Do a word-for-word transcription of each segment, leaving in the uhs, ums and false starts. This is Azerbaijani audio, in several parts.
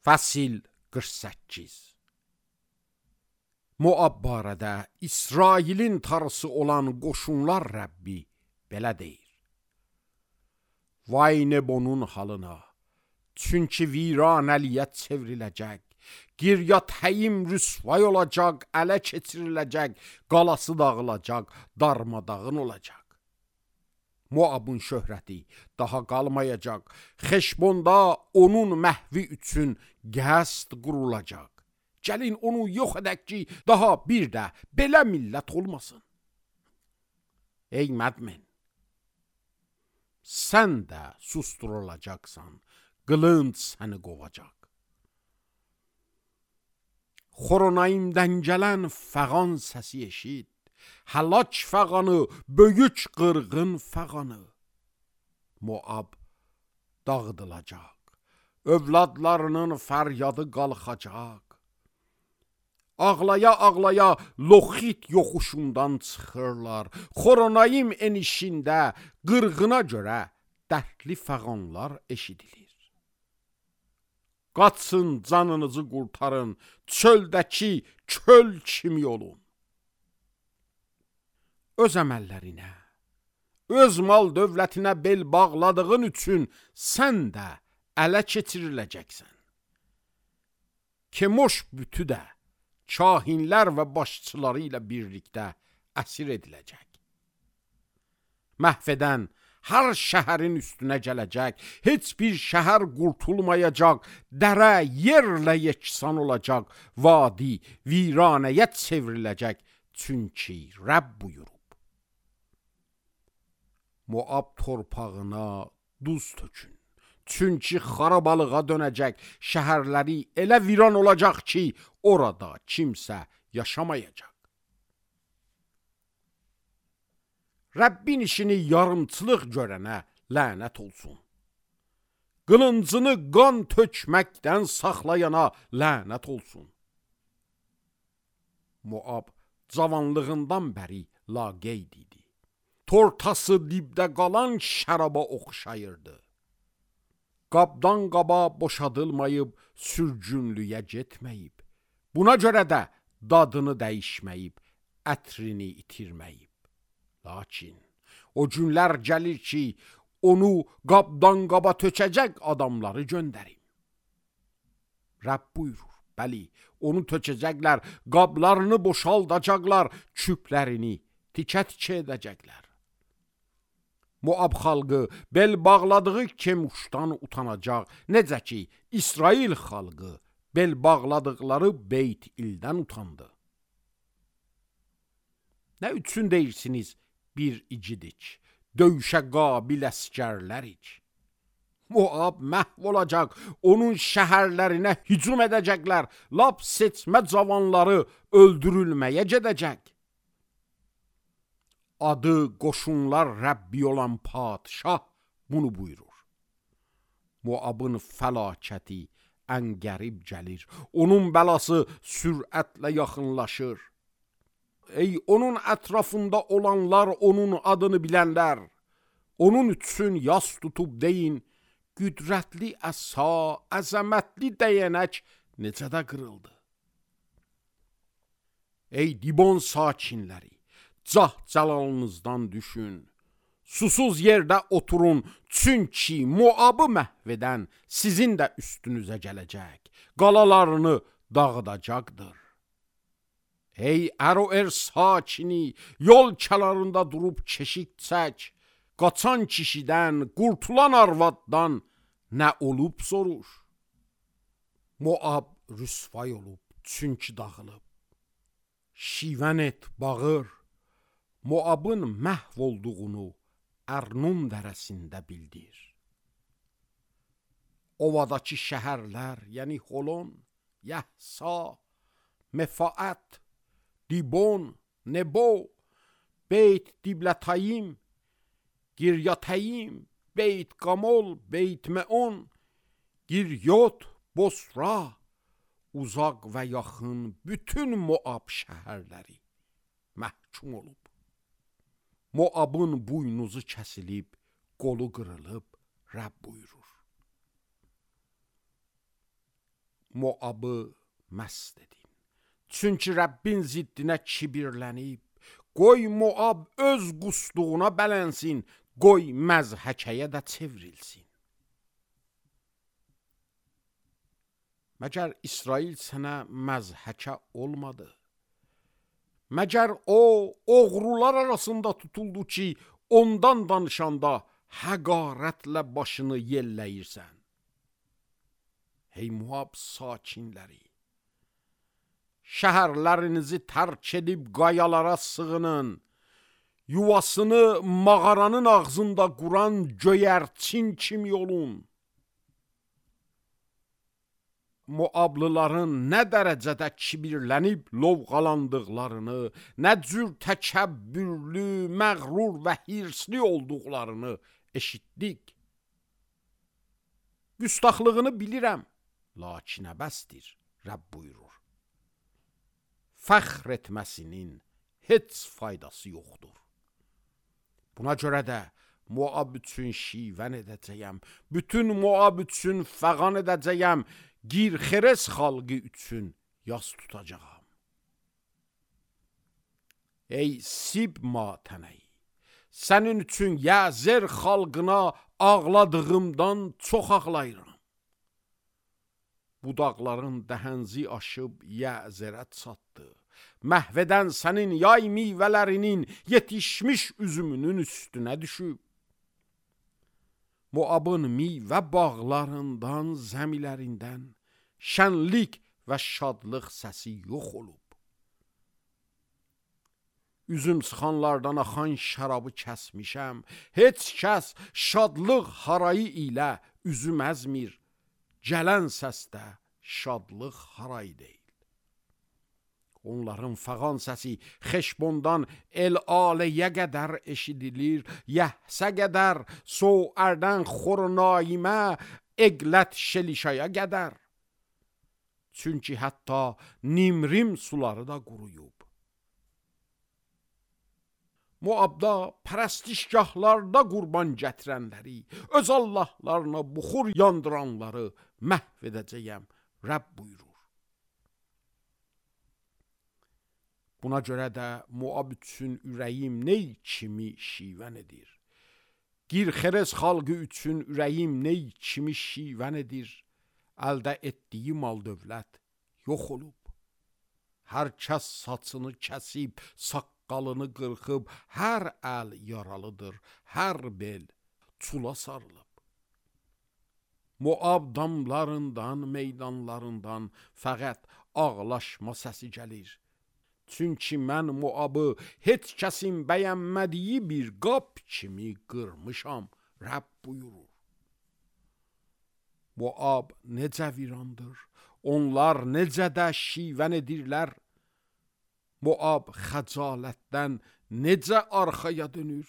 Fəsil qırx səkkiz. Moab barədə İsrailin tarısı olan qoşunlar Rəbbi belə deyir. Vay Nebonun halına, çünki viranəliyə çevriləcək, Giryat-Həyim rüsvay olacaq, ələ keçiriləcək, qalası dağılacaq, darmadağın olacaq. Moabın şöhrəti daha qalmayacaq, Xeşbonda onun məhvi üçün qəsd qurulacaq. Gəlin onu yox edək ki, daha bir də belə millət olmasın. Ey mədmin, sən də susturulacaqsan, qılınc səni qovacaq. Xoronayimdən gələn fəğan səsi eşit, həlak fəğanı, böyük qırğın fəğanı. Moab dağıdılacaq, övladlarının fəryadı qalxacaq. Ağlaya-ağlaya Loxit yoxuşundan çıxırlar, Xoronayim enişində qırğına görə dərdli fəğanlar eşidilir. Qaçın, canınızı qurtarın, çöldəki köl kimi olun. Öz əməllərinə, öz mal dövlətinə bel bağladığın üçün sən də ələ keçiriləcəksən. Kemoş bütü də kahinlər və başçıları ilə birlikdə əsir ediləcək. Məhv edən hər şəhərin üstünə gələcək, heç bir şəhər qurtulmayacaq, dərə yerlə yeksan olacaq, vadi viranəyə çevriləcək, çünki Rəbb buyurub. Moab torpağına duz tökün, çünki xarabalığa dönəcək, şəhərləri elə viran olacaq ki, orada kimsə yaşamayacaq. Rəbbin işini yarımçılıq görənə lənət olsun. Qılıncını qan tökməkdən saxlayana lənət olsun. Moab cavanlığından bəri laqeyd idi. Tortası dibdə qalan şəraba oxşayırdı. Qabdan qaba boşadılmayıb, sürgünlüyə getməyib. Buna görə də dadını dəyişməyib, ətrini itirməyib. Lakin o günlər gəlir ki, onu qabdan qaba tökəcək adamları göndərim. Rəbb buyurur, bəli, onu tökəcəklər, qablarını boşaldacaqlar, küplərini tikə-tikə edəcəklər. Moab xalqı bel bağladığı Kemuşdan utanacaq, necə ki, İsrail xalqı bel bağladıqları Beyt İldən utandı. Nə üçün deyirsiniz, bir igidik, döyüşə qabil əskərlərik. Moab məhv olacaq, onun şəhərlərinə hücum edəcəklər, lap seçmə cavanları öldürülməyə gedəcək. Adı qoşunlar Rəbbi olan padşah bunu buyurur. Moabın fəlakəti ən qərib gəlir, onun bəlası sürətlə yaxınlaşır. Ey onun ətrafında olanlar, onun adını bilənlər, onun üçün yas tutub deyin, qüdrətli əsa, əzəmətli dəyənək necə də qırıldı. Ey Dibon sakinləri, cah cəlalınızdan düşün, susuz yerdə oturun, çünki Moabı məhv edən sizin də üstünüzə gələcək, qalalarını dağıdacaqdır. Ey Əroər sakini, yol kənarında durub keşik çək, qaçan kişidən, qurtulan arvaddan nə olub soruş. Moab rüsvay olub, çünki dağılıb. Şivən et, bağır, Moabın məhv olduğunu Ərnun dərəsində bildir. Ovadakı şəhərlər, yəni Holon, Yəhsa, Mefaət, Dibon, Nebo, Beyt Diblətayim, Giryat-Həyim, Beyt Qamol, Beyt Meon, Giryot, Bosra, uzaq və yaxın bütün Moab şəhərləri məhkum olub. Moabın buynuzu kəsilib, qolu qırılıb, Rəbb buyurur. Moabı məst edin. Çünki Rəbbin ziddinə kibirlənib, qoy Moab öz qusduğuna bələnsin, qoy məzhəkəyə də çevrilsin. Məgər İsrail sənə məzhəkə olmadı? Məgər o oğrular arasında tutuldu ki, ondan danışanda həqarətlə başını yelləyirsən. Hey Moab sakinləri, şəhərlərinizi tərk edib qayalara sığının, yuvasını mağaranın ağzında quran göyərçin kimi olun. Moablıların nə dərəcədə kibirlənib lovğalandıqlarını, nə cür təkəbbürlü, məğrur və hirsli olduqlarını eşitdik. Güstaxlığını bilirəm, lakin əbəsdir, Rəbb buyurur. Fəxr etməsinin heç faydası yoxdur. Buna görə də Moab üçün şivən edəcəyəm, bütün Moab üçün fəğan edəcəyəm, Girxeres xalqı üçün yas tutacağam. Ey Sibma tənəyi, sənin üçün Yəzer xalqına ağladığımdan çox ağlayıram. Budaqların dəhənzi aşıb Yəzerə çatdı. Məhvədən sənin yay meyvələrinin yetişmiş üzümünün üstünə düşüb. Moabın meyvə bağlarından, zəmilərindən şənlik və şadlıq səsi yox olub. Üzüm sıxanlardan axan şərabı kəsmişəm. Heç kəs şadlıq harayı ilə üzüm əzmir. Gələn səsdə şadlıq harayı deyil. Onların fəğan səsi Xeşbondan El-Aləyə qədər eşidilir, Yəhsə qədər, Soərdən Xornaimə, Eqlət Şelişaya qədər. Çünki hətta Nimrim suları da quruyub. Moabda pərəstişgahlarda qurban gətirənləri, öz allahlarına buxur yandıranları məhv edəcəyəm, Rəbb buyurur. Buna görə də Moab üçün ürəyim ney kimi şivən edir. Girxeres xalqı üçün ürəyim ney kimi şivən edir. Əldə etdiyi mal dövlət yox olub. Hər kəs saçını kəsib, saqqalını qırxıb, hər əl yaralıdır, hər bel çula sarılıb. Moab damlarından, meydanlarından fəqət ağlaşma səsi gəlir. Çünki mən Moabı heç kəsin bəyənmədiyi bir qap kimi qırmışam, Rəbb buyurur. Moab necə virandır, onlar necə də şivən edirlər. Moab xəcalətdən necə arxaya dönür.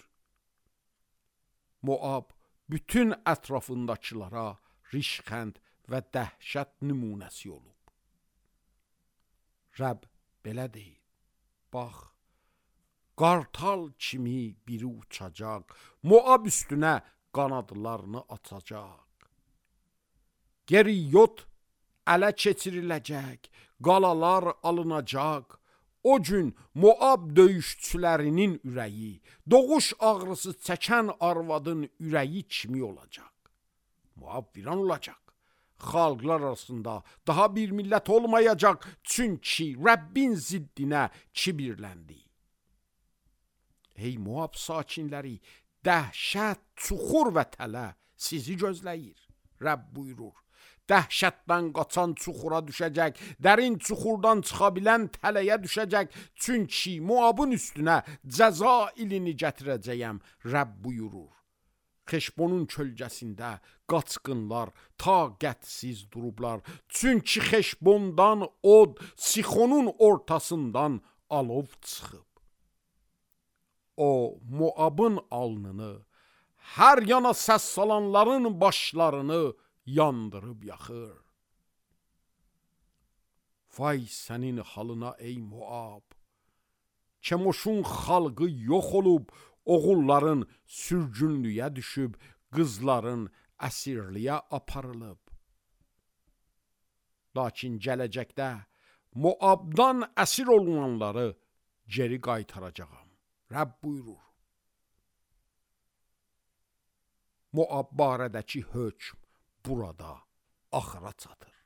Moab bütün ətrafındakılara rişxənd və dəhşət nümunəsi olub. Rəbb belə deyir. Bax, qartal kimi biri uçacaq, Moab üstünə qanadlarını açacaq. Geriyot ələ keçiriləcək, qalalar alınacaq. O gün Moab döyüşçülərinin ürəyi, doğuş ağrısı çəkən arvadın ürəyi kimi olacaq. Moab viran olacaq. Xalqlar arasında daha bir millət olmayacaq, çünki Rəbbin ziddinə kibirləndi. Ey Moab sakinləri, dəhşət, çuxur və tələ sizi gözləyir, Rəbb buyurur. Dəhşətdən qaçan çuxura düşəcək, dərin çuxurdan çıxa bilən tələyə düşəcək, çünki Moabın üstünə cəza ilini gətirəcəyəm, Rəbb buyurur. Xeşbonun kölgəsində qaçqınlar taqətsiz durublar. Çünki Xeşbondan od, Sixonun ortasından alov çıxıb. O, Moabın alnını, hər yana səs salanların başlarını yandırıb yaxır. Vay sənin halına ey Moab! Kemoşun xalqı yox olub, oğulların sürgünlüyə düşüb, qızların əsirliyə aparılıb. Lakin gələcəkdə Moabdan əsir olunanları geri qaytaracağam. Rəbb buyurur. Moab barədəki hökm burada axıra çatır.